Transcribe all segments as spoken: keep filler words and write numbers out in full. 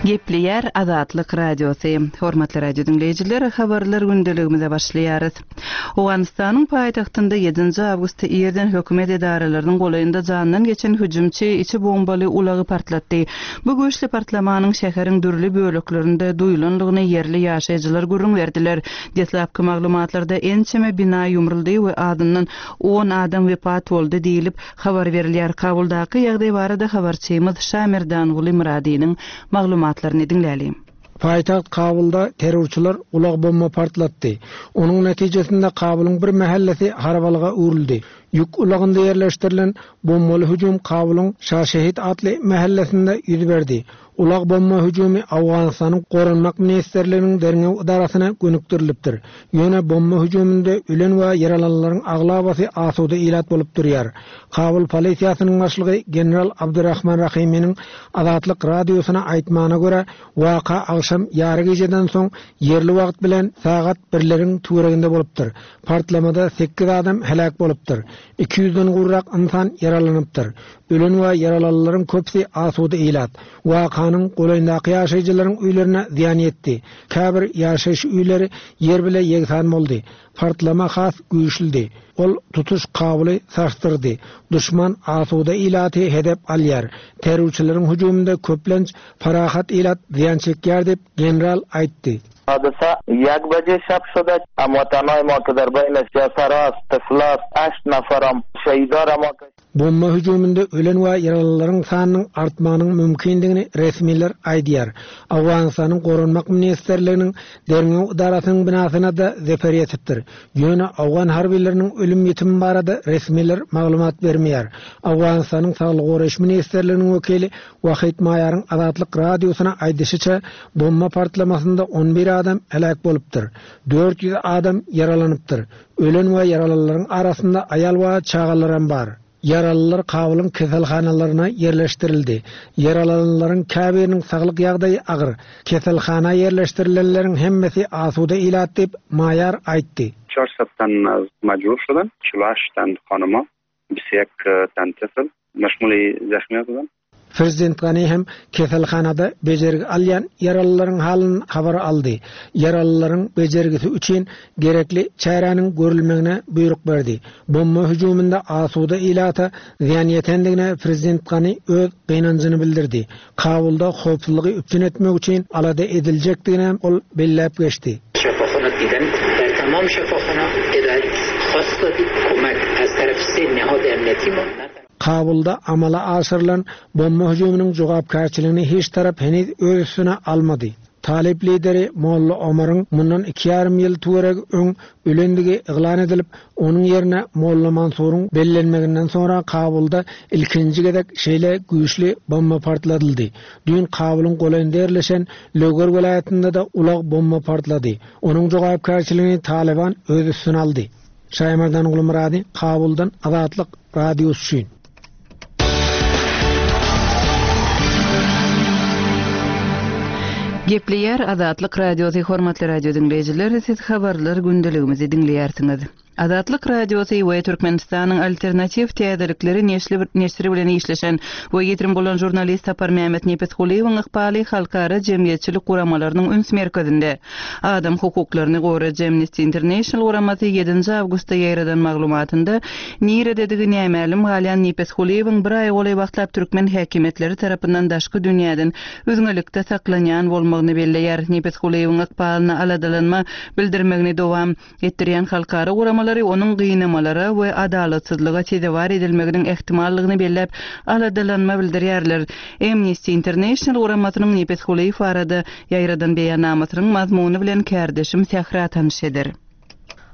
Gepleýär Azatlyk Radiosy. Hormatly radio diňleýjiler, habarlar gündeligimize başlaýarys. Owganystanyň paýtagtynda ýedinji awgustda irden hökümet edaralarynyň golaýynda jandan geçen hüjümçi içi bombaly ulagy partlatdy. Bu güýçli partlamanyň şäheriň dürli böleklerinde duýulandygyny ýerli ýaşaýjylar gürrüň berdiler. Deslapky maglumatlarda ençeme bina ýumruldy we azyndan on adam wepat boldy diýlip habar berilýär. Kabuldaky ýagdaý barada habarçymyz Şamerdanguly Myradynyň maglumatlaryny diňläliň. Paýtagt Kabulda terrorçylar ulag bomba partlatdy. Onuň netijesinde Kabulyň bir mahallesi harabalyga öwrüldi. Ýük ulagynda ýerleşdirilen bombaly hüjüm Kabulyň Şaşehit atly mahallesinde ýüz berdi. Ulag bomba hüjümi Owganystanyň Goranmak Ministrliginiň derňew edarasyna gönükdirilipdir. Ýöne bomba hüjüminde ölen we ýaralananlaryň aglabasy asuda ilat bolup durýar. Kabul polisiýasynyň başlygy General Abdurrahman Rahiminiň Azatlyk radiosyna aýtmagyna görä, waka agşam ýary gijeden soň ýerli wagt bilen sagat birleriň töwereginde bolupdyr. Partlamada sekiz adam heläk bolupdyr. Iki ýüzden gowrak insan ýaralanypdyr. Ölen we ýaralananlaryň köpüsi asuda ilat. Wakanyň golaýyndaky ýaşaýjylaryň öýlerine zyýan ýetdi. Käbir ýaşaýyş öýleri ýer bile ýegsan boldy. Partlama has güýçlüdi. Ol tutuş Kabuly sarsdyrdy. Düşman asuda ilaty hedep alýar. Terrorçylaryň hüjüminde köplenç parahat ilat zyýan çekýär diýip general aýtdy. حادثه یک بجه شب شده. هموطنای ما که در بین سیاسرا طفلا هشت نفرم شهیدار ما که Bomba hüjüminde ölen we ýaralylaryň sanynyň artmagynyň mümkindigini resmiler aýdýar. Owganystanyň Goranmak Ministrliginiň derňew edarasynyň binasyna da zeper ýetipdir. Ýöne Owgan harbileriniň ölüm ýetimi barada resmiler maglumat bermeýär. Owganystanyň Saglyk goraýyş Ministrliginiň wekili Wahid Maýaryň Azatlyk radiosyna aýdyşyça, bomba partlamasynda on bir adam heläk bolupdyr. Dört ýüz adam ýaralanypdyr. Ölen we ýaralylaryň arasynda aýal we çagalaram bar. Ýaralylar Kabulyň keselhanalaryna ýerleşdirildi. Ýaralananlaryň käbiriniň saglyk ýagdaýy agyr. Keselhana ýerleşdirilenleriň hemmesi asuda ilat diýip Maýar aýtdy. Çarşaf tan majbur şudan, çulaş tan hanıma, bisek tan tifl, meşmuli zahmiyat bilen. Prezident Gani hem keselhanada bejergi alýan ýaralylaryň halyny habar aldy. Ýaralylaryň bejergisi üçin gerekli çäräniň görülmegine buýruk berdi. Bomba hüjüminde asuda ilata zyýan ýetendigine Prezident Gani öz gynanjyny bildirdi. Kabulda howpsuzlygy üpjün etmek üçin alada ediljekdigini ol belläp geçdi. Şefaxana diýden, der tamam şefaxana edat khassa kömek az taraf se nihad emniyeti ma. Kabulda amala aşyrylan bomba hüjüminiň jogapkärçiligini hiç tarap heniz öz üstüne almady. Talip lideri Molla Omaryň mundan iki ýarym ýyl töweregi öň ölendigi yglan edilip, onuň ýerine Molla Mansuryň bellenmeginden soňra Kabulda ilkinji gezek şeýle güýçli bomba partladyldy. Düýn Kabulyň golaýynda ýerleşen Löger welaýatynda da ulag bomba partlady. Onuň jogapkärçiligini Taliban öz üstüne aldy. Şaýmardan Gulmurady, Kabuldan Azatlyk radiosy üçin. Gepleýär Azatlyk radiosy, hormatly radio diňleýjiler, siz habarlar gündeligimizi diňleýärsiňiz. Azatlyk radiosy we Türkmenistanyň alternatiw täzelikleri neşri bilen işleşen we ýitirim bolan žurnalist Sapar Mehmet Nepesgulyýewiň ykbaly halkara jemgyýetçilik guramalarynyň üns merkezinde. Adam hukuklaryny goraýjy Amnesty International guramasy ýedinji awgustda ýaýradan maglumatynda nirededigi nämälim galýan Nepesgulyýewiň bir aý golaý wagtlap türkmen häkimiýetleri tarapyndan daşky dünýäden üzňelikde saklanýan bolmagyny belleýär. Nepesgulyýewiň ykbalyna aladalanma bildirmegini dowam etdirýän halkara guramalary onuň gynamalara we adalatsyzlyga sezewar edilmeginiň ehtimallygyny belläp aladalanma bildirýärler. Amnesty International guramasynyň Nepesgulyýew barada ýaýradan beýannamasynyň mazmuny bilen kärdeşim Sähra tanyş eder.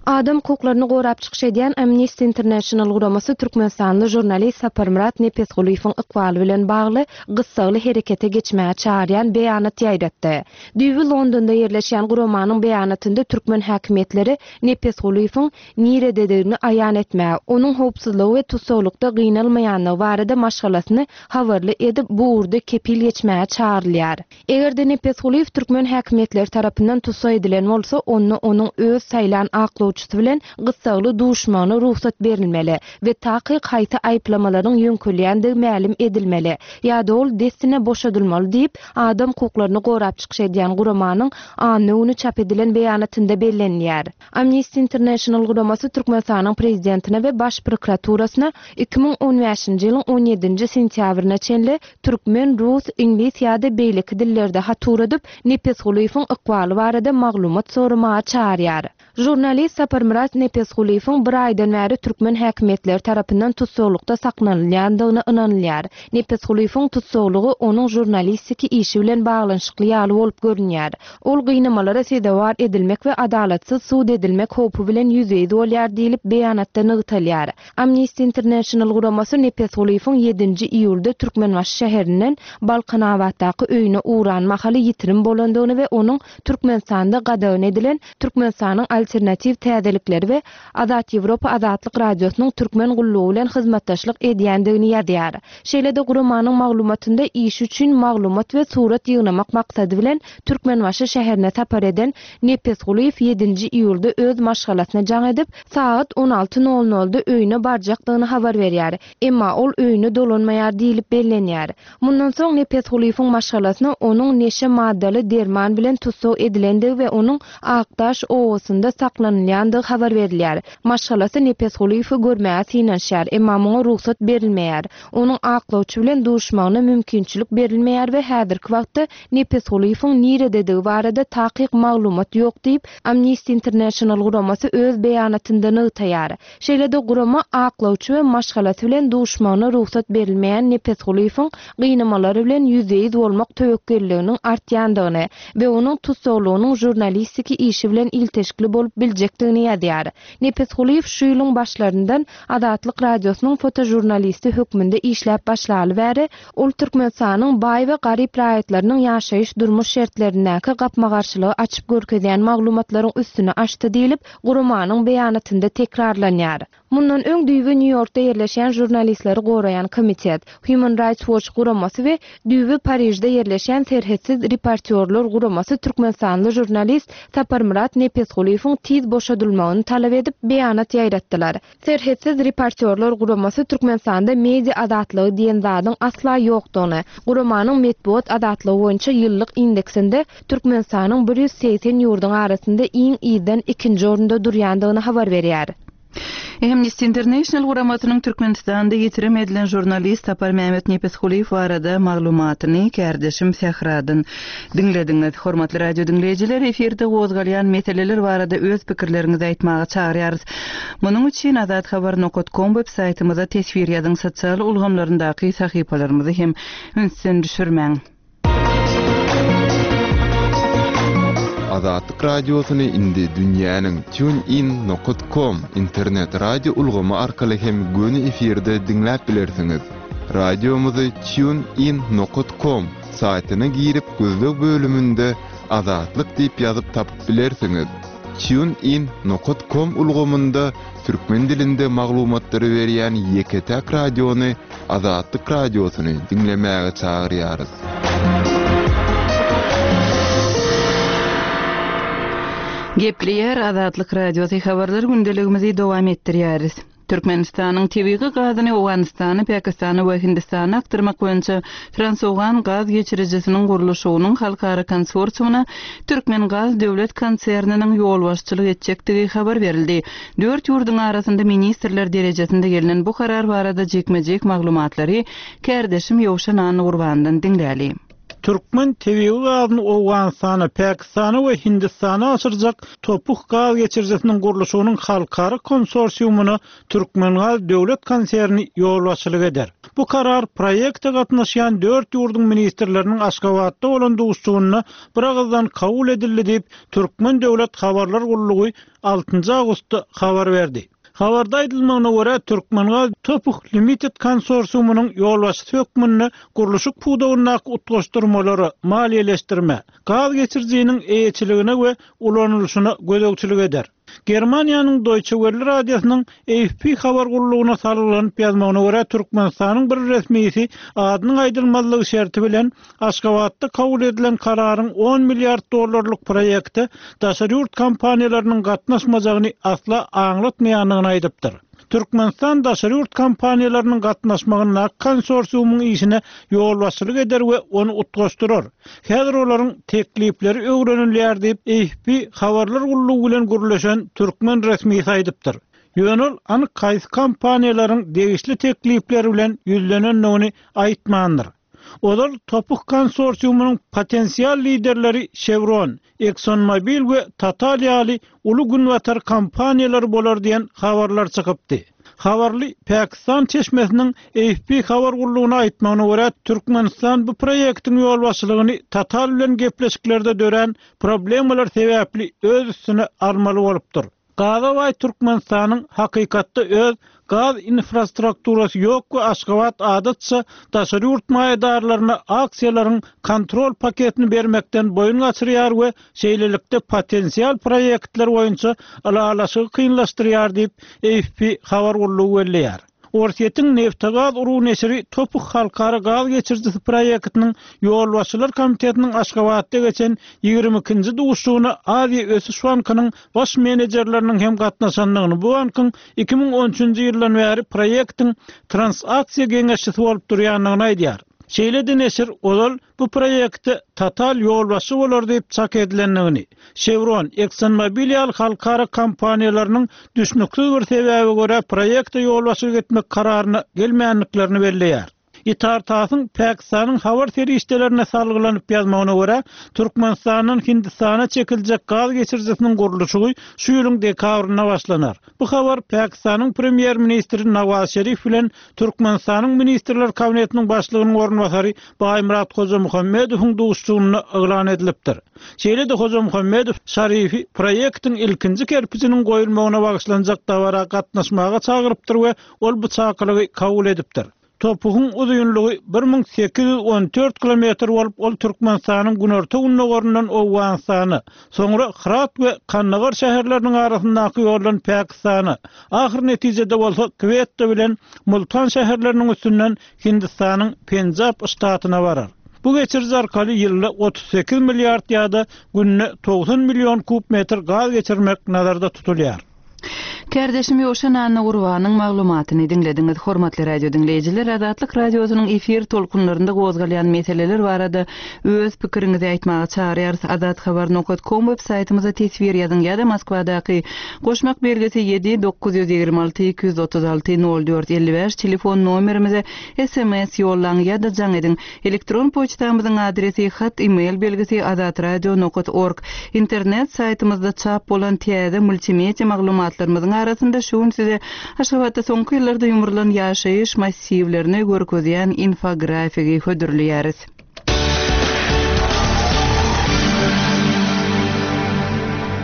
Adam hukuklaryny gorap çykyş edýän Amnesty International guramasy Türkmenistanly žurnalist Saparmyrat Nepesgulyýewiň ykbaly bilen bagly gyssagly herekete geçmäge çağırýan beýanat ýaýratdy. Düýbi Londonda ýerleşýän guramanyň beýanatynda türkmen häkimiýetleri Nepesgulyýewiň nirededigini aýan etmäge, onuň howpsuzlygy we tussaglykda gynalmaýanlygy barada maşgalasyny habarly edip bu ugurda kepil geçmäge çağırylýar. Eger-de Nepesgulyýew türkmen häkimiýetleri tarapyndan tussag edilen bolsa, onda onuň öz saýlan aklawçylaryny aklawçysy bilen gyssagly duşmagyna rugsat berilmeli we takyk haýsy aýyplamalaryň ýöňkülýändigi mälim edilmeli ýa-da ol dessine boşadylmaly diýip, adam hukuklaryny gorap çykyş edýän guramanyň anna güni çap edilen beýanatynda bellenýär. Amnesty International guramasy Türkmenistanyň prezidentine we baş prokuraturasyna iki müň on bäşinji ýylyň on ýedinji sentýabryna çenli türkmen, rus, iňlis ýa-da beýleki dillerde hat ugradyp, Nepesgulyýewiň ykbaly barada maglumat soramaga çağırýar. Jurnalist Saparmyrat Nepesgulyýewiň bir aýdan bäri türkmen häkimiýetleri tarapyndan tutsaglykda saklanylýandygyna ynanylýar. Nepesgulyýewiň tutsaglygy onuň jurnalistiki işi bilen baglanyşykly ýaly bolup görünýär. Ol gynamalara sezewar edilmek we adalatsyz sud edilmek howpy bilen ýüzbe-ýüz bolýar diýlip beýanatda nygtalýar. Amnesty International guramasy Nepesgulyýewiň ýedinji iýulda Türkmenbaşy şäherinden Balkanabatdaky öýüne ugran mahaly ýitirim bolandygyny we onuň Türkmenistanda gadagan edilen Türkmenistanyň alternatiw täzelikleri we Azat Ýewropa Azatlyk Radiosynyň türkmen gullugy bilen hyzmatdaşlyk edýändigini ýazýar. Şeýle-de guramanyň maglumatynda iş üçin maglumat we surat ýygnamak maksady bilen Türkmenbaşy şäherine sapar eden Nepesgulyýew ýedinji iýulda öz maşgalasyna jaň edip, sagat on alty nol nolda öýüne barjakdygyny habar berýär. Emma ol öýüne dolanmaýar diýlip bellenýär. Mundan soň Nepesgulyýewiň maşgalasyna onuň neşe maddaly derman bilen tussag edilendigi we onuň Akdaş obasynda saklanylýandygy habar berilýär. Maşgalasy Nepesgulyýewi görmäge synanyşýar, emma muňa rugsat berilmeýär. Onuň aklawçy bilen duşmagyna mümkinçilik berilmeýär we häzirki wagtda Nepesgulyýewiň nirededigi barada takyk maglumat ýok diýip, Amnesty International guramasy öz beýanatynda nygtaýar. Şeýle-de gurama aklawçy we maşgalasy bilen duşmagyna rugsat berilmeýän Nepesgulyýewiň gynamalary bilen ýüzbe-ýüz bolmak töwekgelliginiň artýandygyny we onuň tutsaglygynyň jurnalistiki işi bilen ilteşikli bolup biljekdigini ýazýar. Nepesgulyýew şu ýylyň başlaryndan Azatlyk Radiosynyň fotojurnalisti hökmünde işläp başlaly bäri, ol Türkmenistanyň baý we garyp raýatlarynyň ýaşaýyş durmuş şertlerindäki gapma-garşylygy açyp görkezýän maglumatlaryň üstüni açdy diýlip, guramanyň beýanatynda tekrarlanýar. Mundan öň düýbi Nýu-Ýorkda ýerleşýän jurnalistleri goraýan komitet, Human Rights Watch guramasy we düýbi Parižde ýerleşýän serhetsiz reportýorlar guramasy Türkmenistanly jurnalist Saparmyrat Nepesgulyýewiň tiz boşadylmagyny talap edip beýanat ýaýratdylar. Serhetsiz reportýorlar guramasy Türkmenistanda media azatlygy diýen zadyň asla ýokdugyny, guramanyň metbugat azatlygy boýunça ýyllyk indeksinde Türkmenistanyň bir ýüz segsen ýurduň arasynda iň ýydan ikinji orunda durýandygyny habar berýär. Amnesty International guramasynyň Türkmenistanda ýitirim edilen jurnalist Saparmyrat Nepesgulyýew barada maglumatyny kärdeşim Sähradan diňlediňiz. Hormatly radio diňleýjiler, efirde gozgalýan meseleler barada öz pikirleriňizi aýtmaga çagyrýarys. Munuň üçin azathabar nokta com web saýtymyza teswir ýazyň, sosial ulgamlaryndaky sahypalarymyzy hem ünsden düşürmäň. Azatlyk Radiosyny indi dünýäniň TuneIn nokta com internet radio ulgamy arkaly hem göni efirde diňläp bilersiňiz. Radiomyzy TuneIn nokta com saýtyna girip gözleg bölüminde Azatlyk diýip ýazyp tapyp bilersiňiz. TuneIn nokta com ulgamynda türkmen dilinde maglumatlary berýän ýeke-täk radiony Azatlyk Radiosyny diňlemäge çagyrýarys. Gepleýär Azatlyk Radiosy habarlar gündeligimizi dowam etdirýäris. Türkmenistanyň tebigy gazyny Owganystana, Pakistana we Hindistana akdyrmak boýunça Transowgan gaz geçirijisiniň gurluşygynyň halkara konsorsiumyna Türkmen Gaz döwlet konserniniň ýolbaşçylyk etjekdigi habar berildi. Dört ýurduň arasynda ministrler derejesinde gelnen bu karar barada jikme-jik maglumatlary kärdeşim Ýowşan Anurbandan diňläli. Türkmen tebigy gazyny Owganystana, Pakistana we Hindistana aşyrjak Topuk gaz geçirijisiniň gurluşygynyň halkara konsorsiumyna Türkmen Gaz döwlet konserni ýolbaşçylyk eder. Bu karar proýekte gatnaşýan dört ýurduň ministrleriniň Aşgabatda bolan duşuşygynda bir agyzdan kabul edildi diýip Türkmen döwlet habarlar gullugy altynjy awgustda habar berdi. Habarda aýdylmagyna görä Türkmen Gaz Topuk Limited konsorsiumynyň ýolbaşçysy hökmünde gurluşyk pudagyndaky utgaşdyrmalary maliýeleşdirme, gaz geçirijiniň eýeçiligine we ulanylyşyna gözegçilik eder. Germaniýanyň Deutsche Welle radiosynyň A F P habar gullugyna salgylanyp ýazmagyna görä, Türkmenistanyň bir resmisi adynyň aýdylmazlygy şerti bilen Aşgabatda kabul edilen kararyň on milliard dollarlyk proýekte daşary ýurt kompaniýalarynyň gatnaşmajagyny asla aňlatmaýandygyny aýdypdyr. Türkmenistan daşary ýurt kompaniýalarynyň gatnaşmagynda konsorsiumyň işine ýolbaşçylyk eder we ony utgaşdyrar. Häzir olaryň teklipleri öwrenilýär diýip A F P habarlar gullugy bilen gürleşen türkmen resmisi aýdypdyr. Ýöne ol anyk haýsy kompaniýalaryň degişli teklipleri bilen ýüzlenendigini aýtmandyr. Ozal Topuk konsorsiumynyň potensial liderleri Chevron, ExxonMobil we Total ýaly uly günbatar kompaniýalary bolar diýen habarlar çykypdy. Habarly Pakistan çeşmesiniň A F P habar gullugyna aýtmagyna görä, Türkmenistan bu proýektiň ýolbaşçylygyny Total bilen gepleşiklerde dörän problemalar sebäpli öz üstüne almaly bolupdyr. Gaza Türkmenistanyň hakykatda öz gaz infrastrukturasy ýok we Aşgabat adatça daşary ýurt maýadarlaryna aksiýalaryň kontrol paketini bermekden boýun gaçyrýar we şeýlelikde potensial proýektler boýunça ylalaşygy kynlaşdyrýar diýip A F P habar gullugy belleýär. Orsýetiň Neftegaz uruw neşiri Topuk halkara gaz geçirijisi proýektiniň ýolbaşçylar komitetiniň Aşgabatda geçen ýigrimi ikinji duşuşygyna Aziýa Ösüş Bankynyň baş menejerleriniň hem gatnaşandygyny, bu bankyň iki müň on üçünji ýyldan bäri proýektiň transaksiýa geňeşçisi bolup durýandygyny aýdýar. Şeýle-de neşir ozal bu proýekte Total ýolbaşçy bolar diýip çak edilendigini, Chevron, ExxonMobil ýaly halkara kompaniýalarynyň düşnüksiz bir sebäbe görä proýekte ýolbaşçylyk etmek kararyna gelmänliklerini belleýär. Itartasyň Pakistanyň habar serişdelerine salgylanyp ýazmagyna görä, Türkmenistandan Hindistana çekiljek gaz geçirijisiniň gurluşygy şu ýylyň dekabrynda başlanar. Bu habar Pakistanyň premýer-ministri Nawaz Şerif bilen Türkmenistanyň Ministrler Kabinetiniň başlygynyň orunbasary Baýmyrat Hojamuhammedowyň duşuşygynda yglan edilipdir. Şeýle-de Hojamuhammedow Şarifi proýektiň ilkinji kerpijiniň goýulmagyna bagyşlanjak dabara gatnaşmaga çagyrypdyr we ol bu çakylygy kabul edipdir. Topugyň uzynlygy bir müň sekiz ýüz on dört kilometr bolup, ol Türkmenistanyň günorta gündogaryndan Owganystana, soňra Hyrat we Kandagar şäherleriniň arasyndaky ýoldan Pakistana, ahyr netijede bolsa Kwetta bilen Multan şäherleriniň üstünden Hindistanyň Penjab ştatyna barar. Bu geçiriji arkaly ýylda otuz sekiz milliard ýa-da günde togsan million kub metr gaz geçirmek nazarda tutulýar. Kardeşim Ýowşan Anna Gurbanyň maglumatyny diňlediňiz. Hormatly radio diňleýjiler, Azatlyk radiosynyň efir tolkunlarynda gozgalýan meseleler barada öz pikiriňizi aýtmaga çagyrýarys. Azat habar nokta com web saýtymyza teswir ýazyň ýa-da Moskwadaky goşmak belgisi ýedi dokuz ýüz ýigrimi alty iki ýüz otuz alty nol dört elli bäş telefon nomerimize S M S ýollaň ýa-da jaň ediň. Elektron poçtamyzyň adresi hat e-mail belgisi azatradio nokta org. Internet saýtymyzda çap bolan täze multimedia maglumatlarymyzyň arasynda şu gün size Aşgabatda soňky ýyllarda ýumrulan ýaşaýyş massiwlerini görkezýän infografiki hödürleýäris.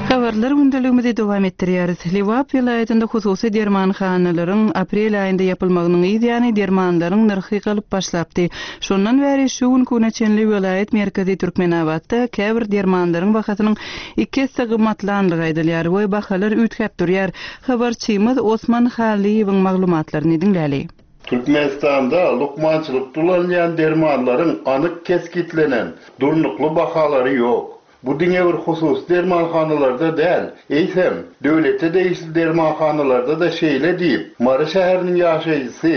Habarlar gündeligimizi dowam etdirýäris. Lebap welaýatynda hususy dermanhanalaryň aprel aýynda ýapylmagynyň yz ýany dermanlaryň nyrhy galyp başlapdy. Şondan bäri şu gün güne çenli welaýat merkezi Türkmenabatda käbir dermanlaryň bahasynyň iki esse gymmatlandygy aýdylýar we bahalar üýtgäp durýar. Habarçymyz Osman Halyýewiň maglumatlaryny diňläli. Türkmenistanda lukmançylyk dulanýan dermanlaryň anyk keskitlenen durnukly bahalary ýok. Bu diňe bir hususy dermanhanalarda däl, eýsem, döwlete degişli dermanhanalarda da şeýle diýip, Mary şäheriniň ýaşaýjysy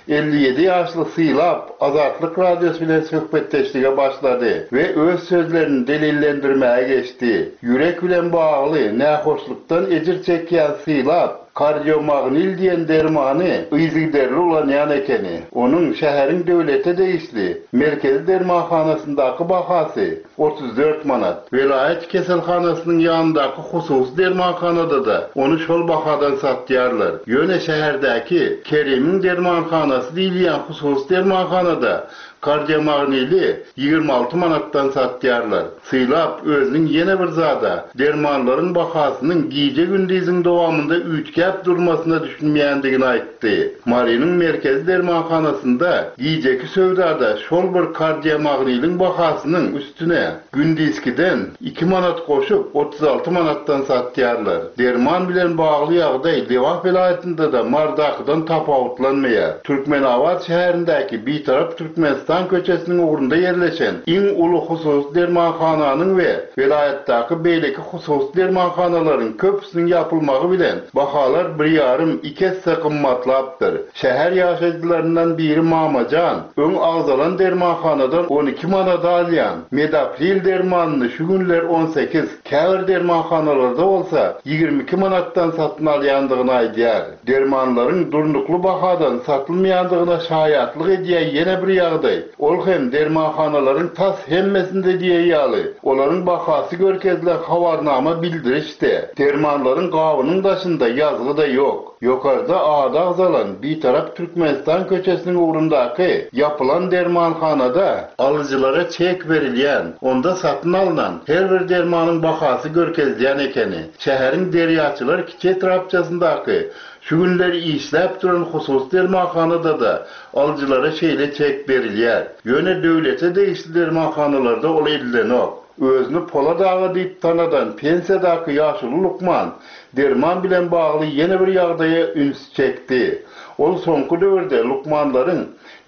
elli ýedi ýaşly Sylap Azatlyk radiosy bilen söhbetdeşlige başlady we öz sözlerini delillendirmäge geçdi. Ýürek bilen bagly nähoşlukdan ejir çekýän Sylap kardiomagnil diýen dermany yzygiderli ulanýan ekeni. Onuň şäheriň döwlete degişli merkezi dermanhanasyndaky bahasy otuz dört manat. Welaýat keselhanasynyň ýanyndaky hususy dermanhanada da ony şol bahadan satýarlar. Ýöne şäherdäki Kerimiň dermanhanasy diýilýän hususy dermanhanada Kardiomagnili ýigrimi alty manatdan satýarlar. Sylap özüniň ýene bir zada, dermanlaryň bahasynyň gije-gündiziň dowamynda üýtgäp durmasyna düşünmeýändigini aýtdy. Marynyň merkezi dermanhanasynda gijeki söwdada şol bir kardiomagniliň bahasynyň üstüne gündizkiden iki manat goşup otuz alty manatdan satýarlar. Derman bilen bagly ýagdaý Lebap welaýatynda-da Mardakydan tapawutlanmaýar. Türkmenabat şäherindäki Bitarap Türkmenistan köçesiniň ugrunda ýerleşen iň uly hususy dermanhananyň we welaýatdaky beýleki hususy dermanhanalaryň köpüsiniň ýapylmagy bilen bahalar bir ýarym iki esse gymmatlapdyr. Şäher ýaşaýjylaryndan biri Mamajan öň agzalan dermanhanadan on iki manada alýan Medapril dermanyny şu günler on sekiz, käbir dermanhanalarda bolsa ýigrimi iki manatdan satyn alýandygyny aýdýar. Dermanlaryň durnukly bahadan satylmaýandygyna şaýatlyk edýän ýene bir ýagdaý. Ol hem dermanhanalaryň tas hemmesinde diýen ýaly, olaryň bahasy görkezilen habarnama bildirişde, dermanlaryň gabynyň daşynda ýazgy da ýok. Ýokarda ady agzalan Bitarap Türkmenistan köçesiniň ugrundaky ýapylan dermanhanada alyjylara çek berilýän, onda satyn alynan her bir dermanyň bahasy görkezilýän ekeni. Şäheriň Derýaçylar kiçi etrapçasyndaky şu günler işläp duran hususy dermanhanada da alyjylara şeýle çek berilýär. Ýöne döwlete degişli dermanhanalarda ol edilenok. Özüni Polat aga diýip tanadan pensiýadaky ýaşuly lukman derman bilen bagly ýene bir ýagdaýa üns çekdi. Ol soňky döwürde lukmanlaryň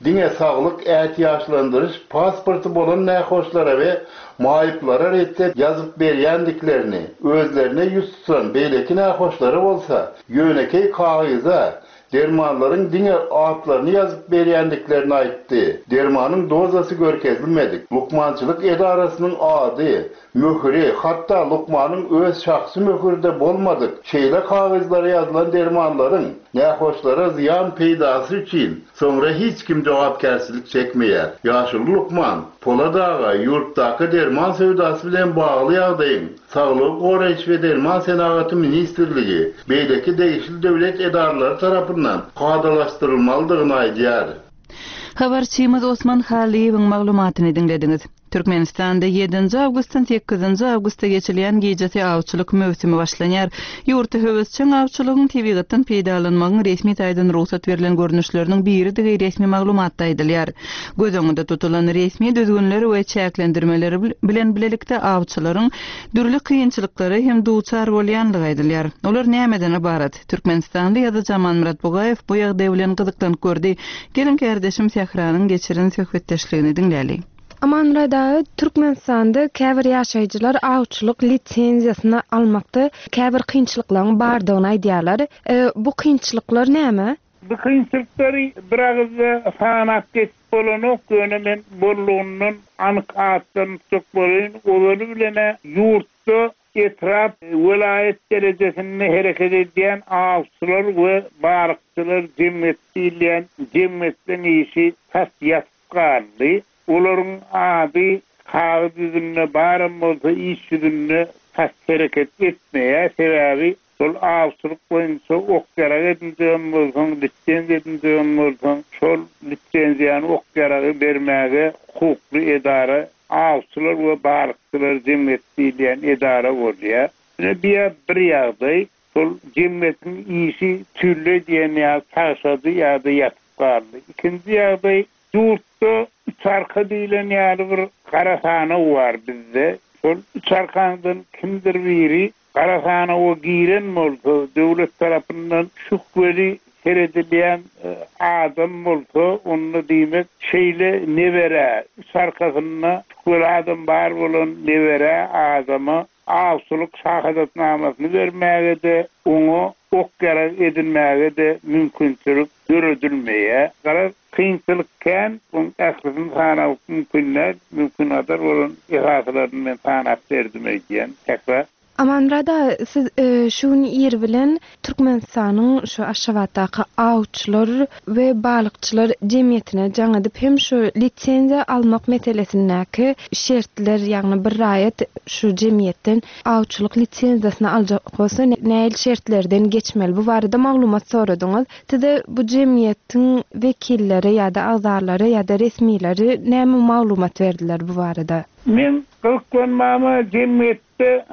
diňe saglyk ätiýaçlandyryş pasporty bolan nähoşlara we maýyplara retsept ýazyp berýändiklerini, özlerine ýüz tutan beýleki nähoşlara bolsa ýönekeý kagyza dermanlaryň diňe atlaryny ýazyp berýändiklerini aýtdy. Dermanyň dozasy görkezilmedik. Lukmançylyk edarasynyň ady, möhüri, hatda lukmanyň öz şahsy möhürde bolmadyk şeýle kagyzlara ýazylan dermanlaryň nähoşlara zyýan peýdasy üçin soňra hiç kim jogapkärçilik çekmeýär. Ýaşuly lukman Polat aga ýurtdaky derman söwdasy bilen bagly ýagdaýyň Saglygy goraýyş we derman senagaty ministrligi beýleki degişli döwlet edaralary tarapyndan kadalaşdyrylmalydygyny aýdýar. Habarçymyz Osman Halyýewiň maglumatyny diňlediňiz. Türkmenistanda ýedinji awgustdan sekizinji awgusta geçilýän gijesi awçylyk möwsümi başlanýar. Ýurtda höwesjeň awçylygyň tebigatdan peýdalanmagyň resmi taýdan rugsat berlen görnüşleriniň biridigi resmi maglumatda aýdylýar. Göz öňünde tutulan resmi düzgünler we çäklendirmeleri bilen bilelikde awçylaryň dürli kynçylyklara hem duçar bolýanlygy aýdylýar. Olar nämeden ybarat? Türkmenistanly ýazyjy Amanmyrat Bugaýew bu ýagdaý bilen gyzyklanyp gördi. Gelin kardeşim Sähranyň geçiren söhbetdeşligini diňläli. Amanmyrat aga, Türkmenistanda käbir ýaşaýjylar awçylyk lisenziýasyny almakda käbir kynçylyklaryň bardygyny aýdýarlar. E, bu kynçylyklar näme? Bu kynçylyklary bir agyzda sanap geçip bolanok, ýöne men bollugynyň anyk atlaryny tutjak bolaýyn. Ozaly bilene ýurtda etrap, welaýat derejesinde hereket edýän awçylar we balykçylar jemgyýeti diýilýän jemgyýetleň işi tas ýatyp galdy. Olaryň ady kagyz ýüzünde baram bolsa iş ýüzünde tas hereket etmeýär. Sebäbi şol awçylyk boýunça ok ýarag edinjegem bolsaň, lisenziýa edinjegem bolsaň, şol lisenziýany ok ýaragy bermäge hukukly edara awçylar we balykçylar jemgyýeti diýilýän edara bolýar. Ine bir bir ýagdaý, şol jemgyýetiň işi tülle diýen ýa tagşady ýa-da ýatyp galdy. Ikinji ýagdaý, ýurtda üç arka diýilen ýaly bir gara sanaw bar bizde. Şol üç arkadan kimdir biri gara sanawa giren bolsa, döwlet tarapyndan şübheli seredilýän, e, adam bolsa, onda diýmek şeýle nebere, üç arkasynda şübheli adam bar bolan nebere adama awçylyk şahadatnamasyny bermäge-de, oňa ok ýarag edinmäge-de mümkinçilik döredilmeýär. Garaz, kynçylyk kän, oň ählisini sanap mümkin däl, mümkin gadar bolan esaslaryny men sanap berdim öýdýän. Sähra. Amanmyrat aga, siz şu gün ir bilen Türkmenistanyň şu Aşgabatdaky awçylar we balykçylar jemgyýetine jaň edip hem şu lisenziýa almak meselesindäki şertler, ýagny bir raýat şu jemgyýetden awçylyk lisenziýasyny aljak bolsa nähili şertlerden geçmeli bu barada maglumat soradyňyz. Size bu jemgyýetiň wekilleri ýa-da agzalary ýa-da resmileri näme maglumat berdiler bu barada? Men gyzyklanmama jemgyýetde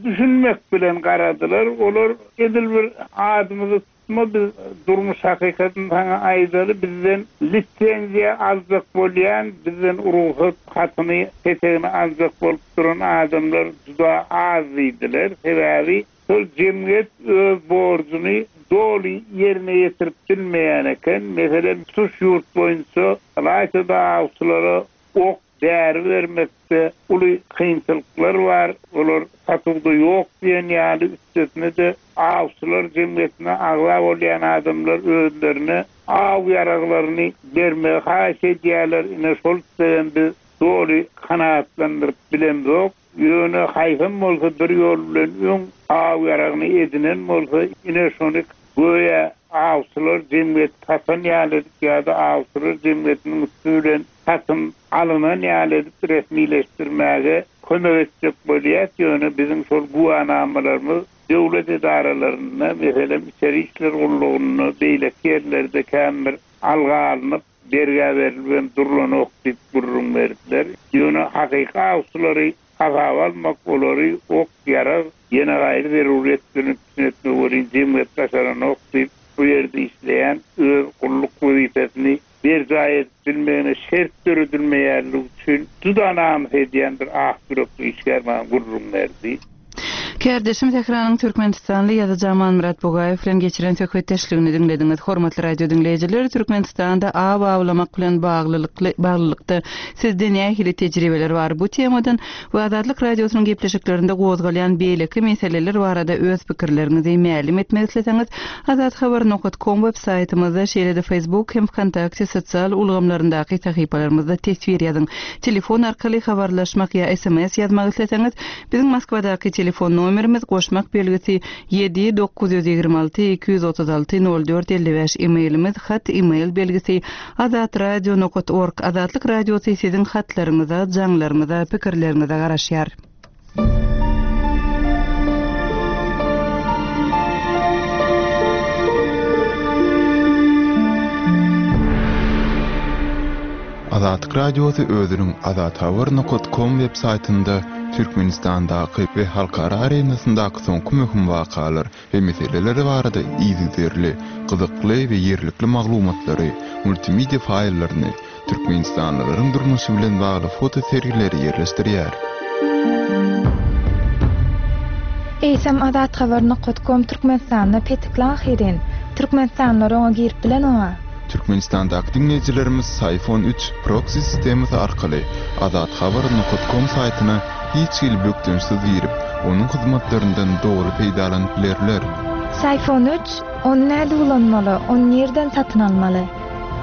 düşünmek bilen garadylar. Olar edil bir adymyzy tutma, biz durmuş hakykatyny saňa aýdaly, bizden lisenziýa aljak bolýan, bizden rugsat hatyny, petegini aljak bolup duran adamlar juda az diýdiler. Sebäbi şol jemgyýet öz borjuny doly ýerine ýetirip bilmeýän eken. Meselem, tutuş ýurt boýunça ylaýta-da awçylara ok däri bermekde uly kynçylyklar bar. Olar satuwda ýok diýen ýaly, üstesine-de awçylar jemgyýetine agza bolýan adamlar özlerine aw ýaraglaryny bermegi haýyş edýärler. Ine şol islegem biz doly kanagatlandyryp bilemzok. Ýöne haýsam bolsa bir ýol bilen öň aw ýaragyny edinen bolsa, ine şony göýä awçylar jemgyýeti satan ýaly edip ýa-da awçylar jemgyýetiniň üsti bilen satyn alynan ýaly edip resmileşdirmäge kömek etjek bolýar. Ýöne biziň şol güwanamalarymyz döwlet edaralarynda, meselem, içeri işler gullugynda, beýleki ýerlerde kän bir alga alnyp, bergä berilip hem durlanok diýip gürrüň berdiler. Ýöne hakyky awçylary hasaba almak, olary ok, ýarag, ýene gaýry zeruriyet bilen üpjün etmek welin jemgyýet başaranok diýip, bu ýerde işleýän öz gulluk wezipesini berjaý edip bilmegine şert döredilmeýänligi üçin juda namys edýän bir ah ýürekli işgär maňa gürrüň berdi. Kärdeşim Tähranyň Türkmenistanly ýazyjy Amanmyrat Bugaýew bilen geçiren söhbetdeşligini diňlediňiz. Hormatly radio diňleýjiler, Türkmenistanda aw awlamak bilen baglylykly baglylykda sizde nähili tejribeler bar? Bu temadan we Azatlyk radiosynyň gepleşiklerinde gozgalýan beýleki meseleler barada öz pikirleriňizi mälim etmek isleseňiz, azathabar nokta com web saýtymyzda, şeýle-de Facebook hem Vkontakte sosial ulgamlaryndaky sahypalarymyzda teswir ýazyň. Telefon arkaly habarlaşmak ýa S M S ýazmak isleseňiz, biziň Moskwadaky telefon nomerimiz goşmak belgisi ýedi dokuz ýüz ýigrimi alty iki ýüz otuz alty nol dört elli bäş, e-mailimiz hat e-mail belgisi azatradio nokta org. Azatlyk radiosy siziň hatlaryňyza, jaňlaryňyza, pikirleriňize garaşýar. Azatlyk radiosy özüniň azathabar nokta com web saýtynda Türkmenistandaky we halkara arenasyndaky soňky möhüm wakalar we meseleler barada yzygiderli, gyzykly we ýerlikli maglumatlary, multimedia faýllaryny, Türkmenistanlylaryň durmuşy bilen bagly foto sergileri ýerleşdirýär. Eýsem azathabar nokta com Türkmenistanda petikli ahyrin. Türkmenistanlylar oňa girip bilen oňa. Türkmenistandaky diňleýjilerimiz Syfon üç proxy sistemasy arkaly azathabar nokta com saýtyna hiç hili bökdençsiz girip, onuň hyzmatlaryndan doly peýdalanyp bilerler. Syfon üç, ony näde ulanmaly, ony nirden satyn almaly?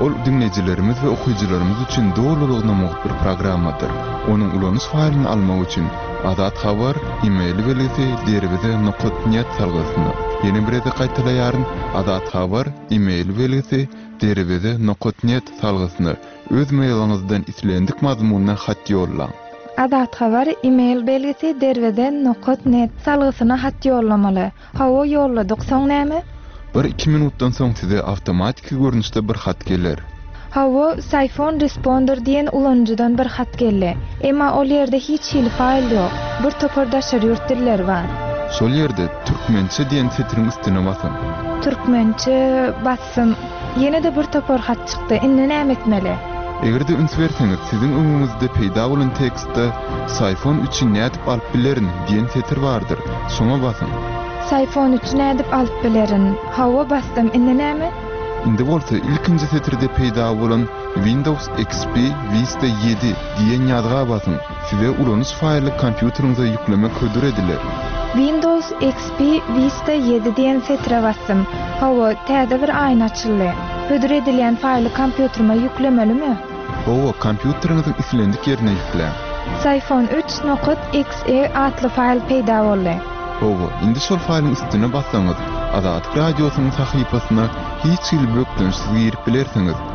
Ol diňleýjilerimiz we okyjylarymyz üçin dolulygyna mugt bir programmadyr. Onuň ulanyş faýlyny almak üçin Azathabar e-mail belgisi derweze nokta net salgysyna. Ýene bir gezek gaýtalaýaryn, Azathabar e-mail belgisi derweze nokta net salgysyna öz mailiňizden islendik mazmunda hat ýollaň. Azathabar e-mail belgisi derweze nokta net salgysyna hat ýollamaly. Hawa ýolladyk, soň näme? Bir iki minutdan soň size awtomatiki görnüşde bir hat geler. Hawa, Syfon Responder diýen ulanyjydan bir hat geldi. Emma ol ýerde hiç hili faýl ýok. Bir topar daşary ýurt dilleri bar. Şol ýerde türkmençe diýen setiriň üstüne basyň. Türkmençe bassym. Ýene-de bir topar hat çykdy. Indi näme etmeli? Eger-de üns berseňiz, siziň öňüňizde peýda bolan tekstde Syfon üçi nädip alyp bilerin diýen setir bardyr. Şoňa basyň. Syfon üçi nädip alyp bilerin? Hawa basdym. Indi näme? Indi bolsa ilkinji setirde peýda bolan Windows X P Vista ýedi diýen ýazga basyň. Size ulanyş faýly kompýuteriňize ýüklemek hödür ediler. Windows X P Vista ýedi diýen setire basdym. Hawa, täze bir aýna açyldy. Hödür edilýän faýly kompýuterime ýüklemelimi? Hawa, kompýuteriňiziň islendik ýerine ýükläň. Syfon üç nokta X E atly faýl peýda boldy. Hawa, indi şol faýlyň üstüne bassaňyz, Azatlyk Radiosynyň sahypasyna hiç hili bökdençsiz girip bilersiňiz.